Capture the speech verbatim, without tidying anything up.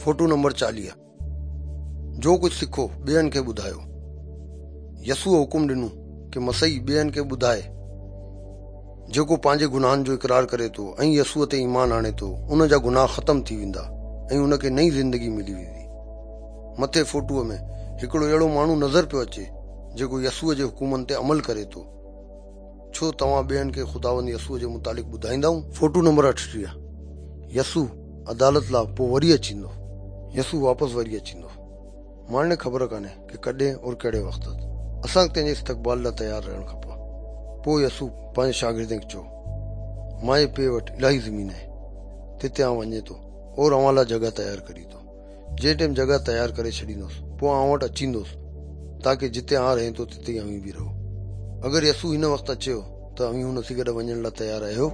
Photo number چاليهه. جو ڪجهه سکو ٻين کي ٻڌايو. يسوع حڪم ڏنو ڪه مسيح ٻين کي ٻڌائي. جيڪو پنهنجي گناهن جو اقرار ڪري ٿو ۽ يسوع تي ايمان آڻي ٿو، ان جا گناهه ختم ٿي ويندا ۽ ان کي نئين زندگي ملي ويندي. مٿي فوٽوء ۾ هڪڙو اهڙو ماڻهو نظر پيو اچي جيڪو يسوع جي حڪمن تي عمل ڪري ٿو. ڇو توهان ٻين کي خداوند يسوع جي متعلق ٻڌائيندائون؟ Photo number اٺٽيهه. يسوع عدالت لاء پوء وري اچيندو. يسوع واپس وري اچيندو. ماڻهن کي خبر ڪانهي ڪه ڪڏهن اور ڪهڙي وقت. اسان کي تنهنجي استقبال لاء تيار رهڻ کپي. پوء يسوع پنهنجي شاگردن کي چيو، مانجي پيءُ وٽ الاهي زمين آهي، تتي آئون وڃي ٿو اور اوهان لاءِ جڳهه تيار ڪري ٿو. جنهن ٽائيم جڳهه تيار ڪري ڇڏيندوس، پوءِ آئون وٽ اچيندوس، تاڪه جتي آن رهين ٿو تتي اوهين به رهو. اگر يسوع هن وقت اچيو ته اوهين هن سان گڏ وڃڻ لاءِ تيار آهيو؟